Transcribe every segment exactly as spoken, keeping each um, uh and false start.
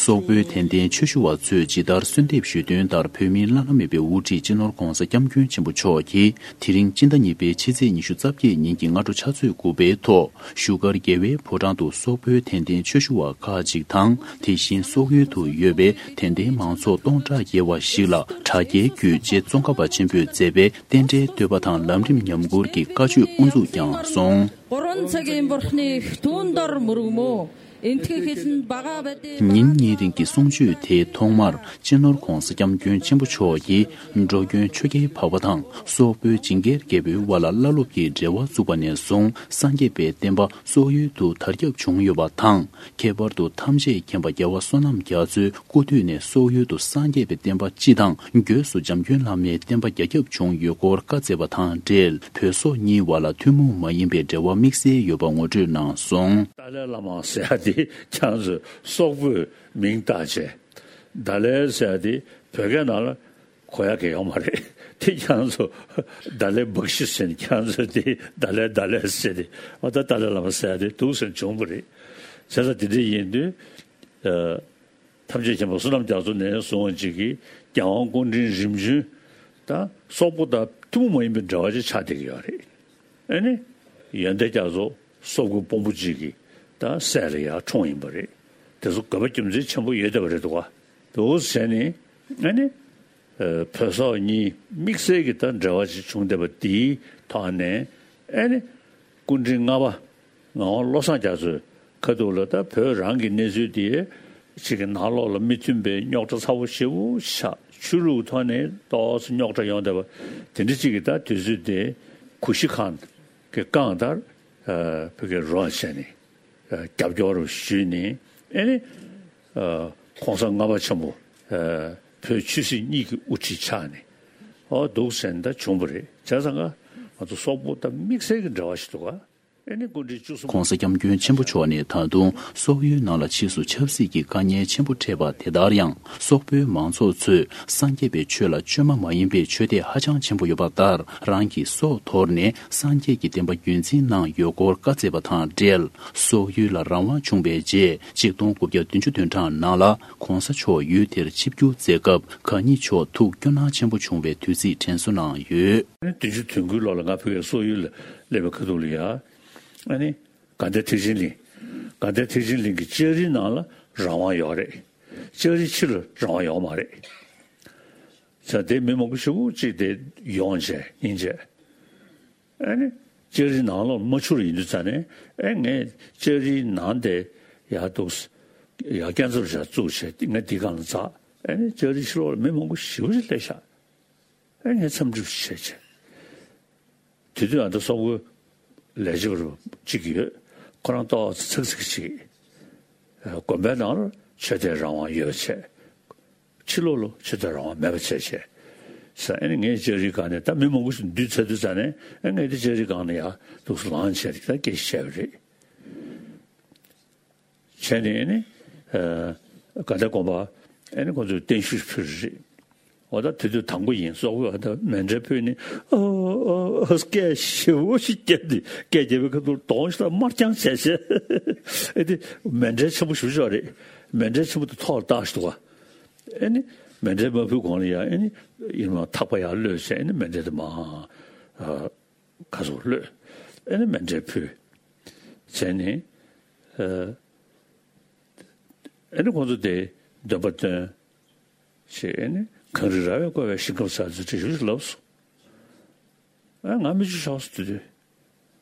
སོག་པོའི་དད་ལྡན་ཆོས་ཞུ་བ་ཚོས་ཇི་ལྟར་གསོལ་འདེབས་ཞུས་དོན་ལྟར། བོད་མིའི་བླ་ན་མེད་པའི་དབུ་ཁྲིད་སྤྱི་ནོར་༧གོང་ས་༧སྐྱབས་མགོན་ཆེན་པོ་མཆོག་གིས། དེ་རིང་སྤྱི་ཟླ་གཉིས་པའི་ཕྱི་ཚེས་ཉི་ཤུ་རྩ་བརྒྱད་ཉིན་གྱི་སྔ་དྲོ་ཕྱག་ཚོད་དགུ་པའི་ཐོག་བཞུགས་སྒར་རྒྱལ་བའི་ཕོ་བྲང་དུ་སོག་པོའི་དད་ལྡན་ཆོས་ཞུ་བ་ཁག་ཅིག་དང་། དེ་བཞིན་སོག་ཡུལ་དུ་ཡོད་པའི་དད་ལྡན་མང་ཚོགས་སྟོང་ཕྲག་བརྒལ་བ་ཞིག་ལ་དྲ་རྒྱའི་བརྒྱུད་རྗེ་ཙོང་ཁ་པ་ཆེན་པོས་མཛད་པའི་རྟེན་འབྲེལ་བསྟོད་པ་དང་ལམ་རིམ་ཉམས་མགུར་གྱི་བཀའ་ཆོས་དབུ་འཛུགས་ཀྱང་སོང་། ཉིན་གཉིས་རིང་གི་གསུང་ཆོས་དེའི་ཐོག་མར། སྤྱི་ནོར་༧གོང་ས་༧སྐྱབས་མགོན་ཆེན་པོ་མཆོག་གིས། འགྲོ་མགོན་ཆོས་རྒྱལ་འཕགས་པ་དང་སོག་པོའི་ཇིང་གེར་རྒྱལ་པོའི་དབར་ལ་བླ་སློབ་ཀྱི་འབྲེལ་བ་བཙུགས་པ་ནས་བཟུང་། སངས་རྒྱས་པའི་བསྟན་པ་སོག་ཡུལ་དུ་དར་ཁྱབ་བྱུང་ཡོད་པ་དང་། ཁྱད་པར་དུ་ཐམས་ཅད་མཁྱེན་པ་རྒྱལ་བ་བསོད་ནམས་རྒྱ་མཚོའི་སྐུ་དུས་ནས་སོག་ཡུལ་དུ་སངས་རྒྱས་པའི་བསྟན་པ་སྤྱི་དང་། སྒོས་སུ་འཇམ་མགོན་བླ་མའི་བསྟན་པ་རྒྱ་ཁྱབ་བྱུང་ཡོད་སྐོར་བཀའ་སྩལ་བ་དང་འབྲེལ། བོད་སོག་གཉིས་བར་ལ་ཐུན་མོང་མ་ཡིན་པའི་འབྲེལ་བ་དམིགས་བསལ་ཡོད་པ་ངོ་སྤྲོད་གནང་སོང་། ཏཱ་ལའི་བླ་མ་ཟེར་ཡ་དེ་ཁྱེད་ཚོས་སོག་པོས་མིང་བཏགས་བྱས། ཏཱ་ལའི་ཟེར་ཡ་དེ་བོད་སྐད་ནང་ལ་གོ་ཡ་གི་ཡོད་མ་རེད། དེ་ཁྱེད་ཚོ་ཏཱ་ལའི་བཀྲ་ཤིས་ཟེར་ནས་ཁྱེད་ཚོས་དེ་ཏཱ་ལའི་ཏཱ་ལའི་ཟེར་ཏེ། འོ་ད་ཏཱ་ལའི་བླ་མ་ཟེར་ཡ་དེ་འདུག་ཟེར་བྱུང་བ་རེད། བྱས་ཙང་དེ་འདྲ་ཡིན་དུས། ཨ། ཐམས་ཅད་མཁྱེན་པ་བསོད་ནམས་རྒྱ་མཚོ་ནས་བཟུང་བ་ཅིག་གིས་རྒྱལ་དབང་སྐུ་ཕྲེང་རིམ་བྱོན་དང་སོག་པོ་དང་ཐུན་མོང་མ་ཡིན་པའི་འབྲེལ་བ་ཅིག་ཆགས་བསྡད་ཀྱི་ཡོད་རེད། ཨ་ནི། ཡོན་ཏན་རྒྱ་མཚོ་སོག་པོའི་དཔོན་པོ་ཅིག་གི་ད་སྲས་ལ་ཡར་འཁྲུངས་ཡིན་པ་རེད། དེ་ཚོ་དགོས་པ་རྒྱུ་མཚན་ཆེན་པོ་ཡོད་བསྡད་པ་རེད་འདུག་ག་འདུག་ཟེར་ནས། ཨ་ནི། ཨ། བོད་སོག་གཉིས་དམིགས་བསལ་གྱི་ད་འབྲེལ་བ་ཞིག་བྱུང་བསྡད་པ་དེའི་ཐོག་ནས། ཨ་ནི། སྐུ་ཕྲེང་ལྔ་པ་ངག་དབང་བློ་བཟང་རྒྱ་མཚོའི་ཁ་ཐུག་ལ་ད་བོད་རང་གི་གནས་ཚུལ་དེ་ཅིག་གི་ནང་ལོགས་ལ་མི་མཐུན་པའི་རྙོག་དྲ་ཚ་བོ་ཞེ་པོ་ཆགས། ཆོས་ལུགས་ཐོག་ནས་ཏོག་ཙམ་རྙོག་དྲ་ཡོང་བསྡད་པ་དེ་འདྲ་ཅིག་གི་ད་དུས་ཚོད་དེ་གུ་ཤྲི་ཁཱན་གྱིས་བསྐངས་དར། ཨ། བོད་ཀྱི་རོགས་བྱས་ནས། ཨ། རྒྱབ་སྐྱོར་ཞུས་ནས། ཨེ་ནི། ཨ། ༸གོང་ས་ལྔ་པ་ཆེན་པོ། ཨ། བོད་ཆོས་སྲིད་གཉིས་ཀྱི་དབུ་ཁྲིད་ཆགས་ནས། ཨོ་འདུག་ཟེར་ནས་ད་བྱུང་བ་རེད། བྱས་ཙང་ང་ཚོ་སོག་པོ་དང་དམིགས་བསལ་གྱི་འབྲེལ་བ་ཞིག་འདུག་ག་ཨེ་ནི་སྐུ་ཕྲེང་བཅུ་གསུམ། ༸གོང་ས་༸སྐྱབས་མགོན་ཆེན་པོ་མཆོག་ནས་ད་དུང་སོག་ཡུལ་ནང་ལ་ཕྱིས་སུ་ཆབ་སྲིད་ཀྱི་དཀའ་ངལ་ཆེན་པོ་འཕྲད་པ་དེ་ལྟར་ཡང་། སོག་པོའི་མང་ཚོགས་ཚོས་སངས་རྒྱས་པའི་ཆོས་ལ་བཅོས་མ་མ་ཡིན་པའི་ཆོས་དད་ཧ་ཅང་ཆེན་པོ་ཡོད་པ་ལྟར། རང་གི་སྲོག་དོར་ནས་སངས་རྒྱས་ཀྱི་བསྟན་པ་རྒྱུན་འཛིན་གནང་ཡོད་སྐོར་བཀའ་སྩལ་བ་དང་འབྲེལ། སོག་ཡུལ་ལ་རང་དབང་བྱུང་བའི་རྗེས། ཆིག་སྟོང་དགུ་བརྒྱ་བདུན་ཅུ་དོན་གྲངས་ནང་ལ་༸གོང་ས་མཆོག་ཡུལ་དེར་ཆིབས་བསྒྱུར་མཛད་སྐབས། གང་ཉིད་མཆོག་ཐུགས་སྐྱོ་སྣང་ཆེན་པོ་བྱུང་བའི་དུས་ཚིགས་དྲན་གསོ་གནང་ཡོད། བདུན་ཅུ་དོན་དགུའི་ལོ་ལ་ང་བོད་ཀྱི་སོག་ཡུལ་ལ་སླེབས་པའི་ཁ་ཐུག་ལ་ཡ། ཨ་ནི། དགའ་ལྡན་ཐེག་ཆེན་གླིང་། དགའ་ལྡན་ཐེག་ཆེན་གླིང་གི་ལྕགས་རིའི་ནང་ལ་རང་དབང་ཡོད་རེད། ལྕགས་རིའི་ཕྱི་ལ་རང་དབང་ཡོད་མ་རེད། ས་དེ་མི་མང་པོ་ཞེ་པོ་ཅིག་དེ་ཡོང་བྱས་ཡིན་བྱས། ཨ་ནི། ལྕགས་རིའི་ནང་ལོགས་མ་འཕྱུར་ཡིན་དུས་ཙ་ནས། ཨེ། ངས་ལྕགས་རིའི་ནང་དེ་ཡར་འདུག་ཡར་སྐས་འཛེག་བྱས་བཙུགས་བྱས། ངས་འདི་སྒང་ལ་འཛེགས། ཨ་ནི། ལྕགས་རིའི་ཕྱི་ལོགས་ལ་མི་མང་པོ་ཞེ་པོ་ཅིག་སླེབས་ཤག་ཨེ། ངས་འཚམས་འདྲི་བྱས་བྱས། དེ་དུས་ཨ་ད་སོག་པོའི་ལས་བྱེད་པ་གཅིག་ཡོད། ཁོ་རང་ཏོག་ཙམ་ཚིག་ཚིག་ཅིག་དགོན་པའི་ནང་ལ་ཆོས་དད་རང་དབང་ཡོད་བྱས། ཕྱི་ལོགས་ལ་ཆོས་དད་རང་དབང་མེད་པ་བྱས་བྱས། ས། ཨ་ནི་ངས་ལྕགས་རིའི་སྒང་ནས། ད་མི་མང་པོ་ཞིག་འདུས་ཚར་དུས་ཙ་ནས། ཨ། ངས་དེ་ལྕགས་རིའི་སྒང་ནས་ཡར་འདུག་སེ་ལངས་བྱས་ད་སྐད་ཆ་བཤད་པ་རེད། བྱས་ནས་ནི། ཨ། དགའ་ལྡན་དགོན་པ། ཨ་ནི་ཁོང་ཚོས་བརྟན་བཞུགས་ཕུལ་རེད། འོ་ད་དེ་དུས་དང་པོ་ཡིན། སོག་པོས་ཨ་ད་མཎྜལ་ཕུལ་ནས། ཨ། ཨ། ཨ། སྐད་ཞེ་པོ་ཞིག་བརྒྱབ་སྟེ། སྐད་བརྒྱབ་པའི་ཁ་ཐུག་གདོང་ཞིག་ད་དམར་རྐྱང་བྱས་བྱས། ཨེ། དེ་མཎྜལ་ཆེན་པོ་ཞེ་པོ་ཅིག་རེད། མཎྜལ་ཆེན་པོ་དེ་ཐོག་ལ་བཏགས་ཤིག་འདུག་ག་ཨེ་ནི། མཎྜལ་མ་ཕུལ་གོང་ལ་ཡ། ཨེ་ནི། ཡིན་ནའང་ཐག་པ་ཡར་གློད་བྱས། ཨེ་ནི། མཎྜལ་དེ་མར། ཨ། ཁ་སོགས་གློད། ཨེ་ནི་མཎྜལ་ཕུལ། བྱས་ནས། ཨ། ཨེ་ནི་ཁོང་ཚོ་དེ་འདོན་པ་འདོན་བྱས། ཨེ་ནི་གངས་རི་ར་བས་བསྐོར་བའི་ཞིང་ཁམས་ས་ཚུལ་བྲིས་ཞུ་ལབ་སོང་། ཨ། ང་མིག་ཆུ་ཤོར་སོང་། དེ་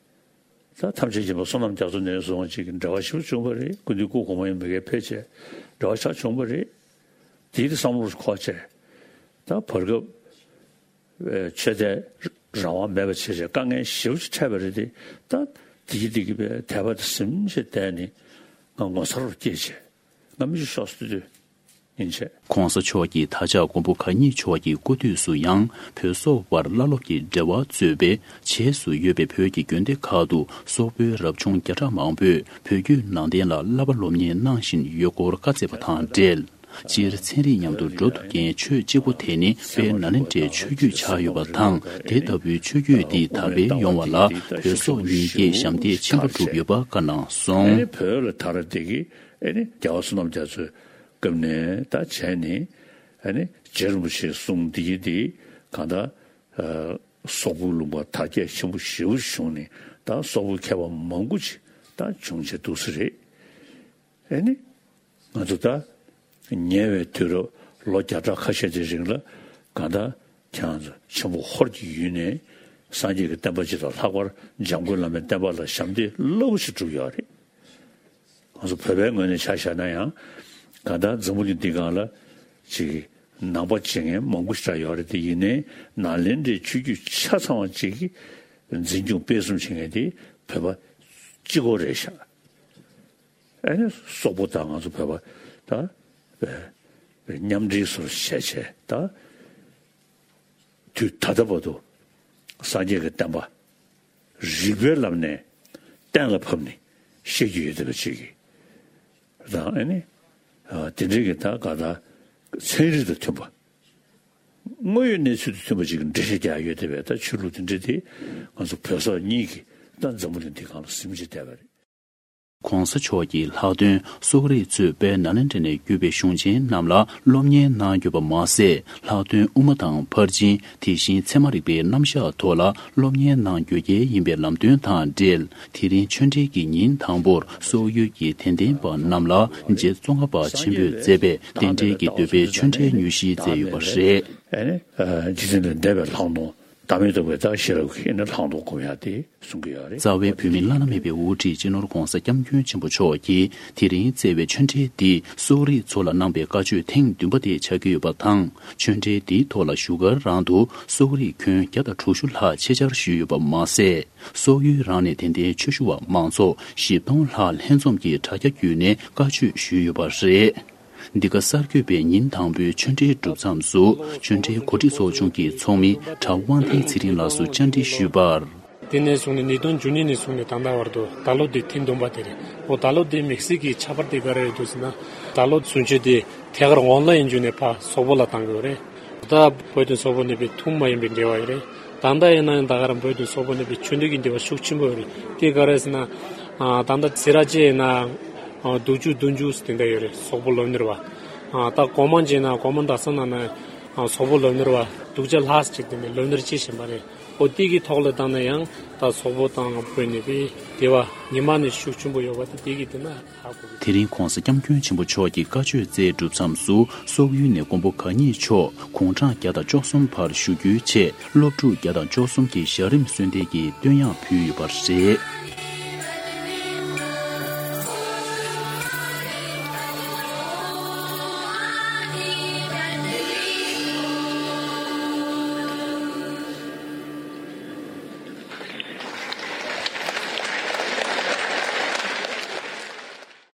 དུས་ད་ཐམས་ཅད་མཁྱེན་པ་བསོད་ནམས་རྒྱ་མཚོ་ནས་བཟུང་བ་ཅིག་གི་འབྲེལ་བ་ཞིག་བྱུང་བ་རེད། སྐུ་མདུན་སྐུ་གོང་མ་ཡིན་པའི་ཕལ་ཆེར་འབྲེལ་བ་ཆགས་བྱུང་བ་རེད། དེའི་བསམ་བློ་འཁོར་བྱས། ད་བར་སྐབས། ཨེ། ཆོས་དད་རང་དབང་མེད་པ་བྱས་བྱས་དཀའ་ངལ་ཞེ་པོ་ཅིག་འཕྲད་པ་རེད་དེ། ད་དེ་གི་དེ་གི་བའི་དད་པ་དེ་ཟིན་བྱས་བསྡད་ནས། ང་ངོ་མཚར་བ་སྐྱེས་བྱས། ང་མིག་ཆུ་ཤོར་སོང་། དེ་དུས་ཡིན་བྱས། ༸གོང་ས་མཆོག་གིས་ད་ཆ་མགོན་པོ་གང་ཉིད་མཆོག་གི་སྐུ་དུས་སུ་ཡང་། བོད་སོག་བར་བླ་སློབ་ཀྱི་འབྲེལ་བ་གཙོས་པའི་བྱེས་སུ་ཡོད་པའི་བོད་ཀྱི་དགོན་སྡེ་ཁག་ཏུ་སོག་པོའི་རབ་བྱུང་བརྒྱ་ཕྲག་མང་པོས་བོད་བརྒྱུད་ནང་བསྟན་ལ་བསླབ་པ་སློབ་གཉེར་གནང་བཞིན་ཡོད་སྐོར་བཀའ་སྩལ་བ་དང་འབྲེལ། སྤྱིར་ཚན་རིག་མཉམ་དུ་འགྲོ་ཐུབ་མཁན་ཆོས་གཅིག་པོ་དེ་ནི་དཔལ་ནཱ་ལེནྡྲའི་ཆོས་བརྒྱུད་ཆགས་ཡོད་པ་དང་། དེ་ལྟ་བུའི་ཆོས་བརྒྱུད་འདི་དར་སྤེལ་ཡོང་བ་ལ་བོད་སོག་གཉིས་ཀས་ཞབས་འདེགས་ཆེན་པོ་བསྒྲུབས་ཡོད་པ་བཀའ་གནང་སོང་། ཨེ་ནི་བོད་ལ་དར་དེ་གི་ཨེ་ནི་རྒྱལ་བ་བསོད་ནམས་རྒྱ་མཚོའི་སྐབས་ནས་ད་བྱས་ནས་ཨེ་ནི་རྗེ་རིན་པོ་ཆེའི་གསུང་འདི་གི་འདི་གང་ལྟར་ཨ་སོག་པོའི་ལུང་པ་དར་རྒྱས་ཆེན་པོ་ཞེ་པོ་བྱུང་ནས་ད་སོག་པོའི་མཁས་པ་མང་པོ་ཅིག་ད་བྱུང་བྱས་འདུག་ས་རེད། ཨེ་ནི། ང་ཚོ་ད་ཉེ་བའི་དུས་རབས་ལོ་བརྒྱ་ཕྲག་ཁ་ཤས་ཀྱི་རིང་ལ་གང་ལྟར་ཁྱེད་རང་ཚོ་ཆེན་པོ་ཧོར་གྱི་ཡུལ་ནས་སངས་རྒྱས་ཀྱི་བསྟན་པ་སྤྱི་དང་ལྷག་པར་འཇམ་མགོན་བླ་མའི་བསྟན་པ་ལ་ཞབས་འདེགས་རླབས་པོ་ཆེ་བསྒྲུབས་ཡོད་རེད། ང་ཚོ་བོད་པའི་ངོས་ནས་ཆ་བཞག་ན་ཡང་གང་ལྟར་འཛམ་བུ་གླིང་འདི་སྒང་ལ་ཅིག་ནང་པ་བྱེད་མཁན་མང་པོ་ཞིག་ཡོད་རེད། དེ་ཡིན་ནའི་ནཱ་ལེནྡྲའི་ཆོས་བརྒྱུད་ཆ་ཚང་བ་ཅིག་གི་འཛིན་སྐྱོང་སྤེལ་གསུམ་བྱེད་མཁན་དེ་བོད་པ་གཅིག་པོ་རེད་ཤག་ཨ་ནི་སོག་པོ་དང་ང་ཚོ་བོད་པ་ད་མཉམ་འབྲེལ་སོར་བྱས་བྱས་ད་དུས་ད་ལྟ་བར་དུ་སངས་རྒྱས་ཀྱི་བསྟན་པ་རིགས་པའི་ལམ་ནས་གཏན་ལ་ཕབ་ནས་བཤད་རྒྱུ་ཡོད་བསྡད་པ་ཅིག་གིས་དང་ཨ་ནི་དེ་འདྲའི་གི་ད་ག་ད་ཚན་རིག་དང་མཐུན་པ་དངོས་ཡོད་གནས་ཚུལ་དང་མཐུན་པ་ཅིག་གི་འགྲེལ་བཤད་རྒྱག་ཡོད་བསྡད་པའི་ད་ཆོས་ལུགས་དེ་འདྲ་དེ་ང་ཚོ་བོད་སོག་གཉིས་ཀྱིས་ད་འཛམ་བུ་གླིང་འདི་སྒང་ལ་ཟིན་བྱས་བསྡད་པ་རེད། གོང་ས་མཆོག་གིས་ལྷག་དོན་སོག་རིགས་ཚོས་དཔལ་ནཱ་ལེནྡྲ་ནས་བརྒྱུད་པའི་གཞུང་ཆེན་རྣམས་ལ་སློབ་གཉེར་གནང་ཡོད་པ་མ་ཟད། ལྷག་དོན་དབུ་མ་དང་ཕར་ཕྱིན་དེ་བཞིན་ཚད་མ་རིག་པའི་རྣམ་གཞག་ཐོག་ལ་སློབ་གཉེར་གནང་དགོས་གལ་ཡིན་པའི་ལམ་སྟོན་དང་འབྲེལ། དེ་རིང་ཆོས་འབྲེལ་གྱི་ཉིན་དང་པོར་སོག་ཡུལ་གྱི་དད་ལྡན་པ་རྣམས་ལ་རྗེ་ཙོང་ཁ་པ་ཆེན་པོས་མཛད་པའི་རྟེན་འབྲེལ་གྱི་འདོད་པའི་ཆོས་འབྲེལ་དངོས་གཞི་མཛད་ཡོད་པ་རེད། ཨ་ནི་རྗེ་བཙུན་ལས་འདས་པའི་ལྷག་མཐོང་། བདག་མེད་རྟོགས་པའི་ད་ཤེས་རབ་ཀྱི་ནི་ལྷག་མཐོང་སྒོམ་ཡག་དེ་གསུང་གི་ཡོད་རེད། རྩ་བའི་བོད་མི་བླ་ན་མེད་པའི་དབུ་ཁྲིད་སྤྱི་ནོར་༧གོང་ས་༧སྐྱབས་མགོན་ཆེན་པོ་མཆོག་གིས་དེ་རིང་བསྩལ་བའི་ཆོས་འབྲེལ་འདིས་སོག་རིགས་ཚོ་ལ་གནང་པའི་བཀའ་ཆོས་ཐེངས་བདུན་པ་དེ་ཆགས་ཀྱི་ཡོད་པ་དང་། ཆོས་འབྲེལ་འདིའི་ཐོག་ལ་བཞུགས་སྒར་རང་དུ་སོག་རིགས་ཁྱོན་བརྒྱ་དང་དྲུག་ཅུ་ལྷག་ཆེད་བཅར་ཞུས་ཡོད་པ་མ་ཟད། སོག་ཡུལ་རང་ནས་དད་ལྡན་ཆོས་ཞུ་བ་མང་ཚོགས་བཞི་སྟོང་ལྷག་ལྷན་འཛོམས་ཀྱིས་དྲ་རྒྱ་བརྒྱུད་ནས་བཀའ་ཆོས་ཞུས་ཡོད་པ་རེད། འདི་ག་གསར་འགོད་པས་ཉིན་དང་པོའི་ཆོས་འབྲེལ་གྲུབ་མཚམས་སུ་ཆོས་འབྲེལ་གོ་སྒྲིག་ཚོགས་ཆུང་གི་ཚོགས་མི་གྲྭ་པ་དབང་ལྡན་ཚེ་རིང་ལགས་སུ་བཅར་འདྲི་ཞུས་པར། དེ་ནས་བཟུང་ནས་ཉིས་སྟོང་བཅུ་གཉིས་ནས་བཟུང་ནས་ད་ལྟ་བར་དུ་ད་ལོ་འདི་ཐེངས་བདུན་པ་དེ་རེད། འོ་ད་ལོ་འདི་དམིགས་བསལ་གྱི་ཁྱད་པར་དེ་ག་རེ་རེད་འདུག་ཟེར་ན། ད་ལོ་གསུང་ཆོས་དེ་ཐད་ཀར་ཨོན་ལ་ཡིན་བརྒྱུད་ནས་ཕར་སོག་པོ་ལ་བཏང་གི་ཡོད་རེད། ད་བོད་དང་སོག་པོ་གཉིས་པོའི་ཐུན་མ་ཡིན་པའི་འབྲེལ་བ་ཡོད་རེད། ད་ལྟ་ཡིན་ན་ཡང་ད་ག་རང་བོད་དང་སོག་པོ་གཉིས་པོའི་ཆོས་འབྲེལ་གྱི་འབྲེལ་བ་ཤུགས་ཆེན་པོ་ཡོད་རེད། དེ་ག་རེ་ཟེར་ན། ཨ་ད་ལྟ་སེ་ར་བྱེས་ཡིན་ན་ཨ་དྲུག་ཅུ་བདུན་ཅུ་དེ་འདྲ་ཡོད་རེད། སོག་པོ་སློབ་གཉེར་བ། ཨ་ད་གོང་མ་བྱས་ན་གོང་མ་ཟླ་བསམ་ནང་ན་ཨ་སོག་པོ་སློབ་གཉེར་བ་དྲུག་ཅུ་ལྷག་ཅིག་དེ་ནས་སློབ་གཉེར་བྱེད་བཞིན་པ་རེད། འོ་དེ་གི་ཐོག་ལ་བཏང་ན་ཡང་ད་སོག་པོ་དང་བོད་གཉིས་པོའི་འབྲེལ་བ་ཉི་མ་ནས་ཤུགས་ཆེན་པོ་ཡོད་པ་དེ་དེ་གི་དེ་ན། དེ་རིང་གོང་ས་སྐྱབས་མགོན་ཆེན་པོ་མཆོག་གིས་བཀའ་ཆོས་སྩལ་གྲུབ་མཚམས་སུ་སོག་ཡུལ་ནས་མགོན་པོ་གང་ཉིད་མཆོག་དགུང་གྲངས་བརྒྱ་དང་བཅུ་གསུམ་བར་བཞུགས་རྒྱུའི་ཆེད་སློབ་ཕྲུག་བརྒྱ་དང་བཅུ་གསུམ་གྱི་ཞལ་རིམ་གསོལ་འདེབས་ཀྱི་བསྟོད་དབྱངས་ཕུལ་ཡོད་པ་རེད།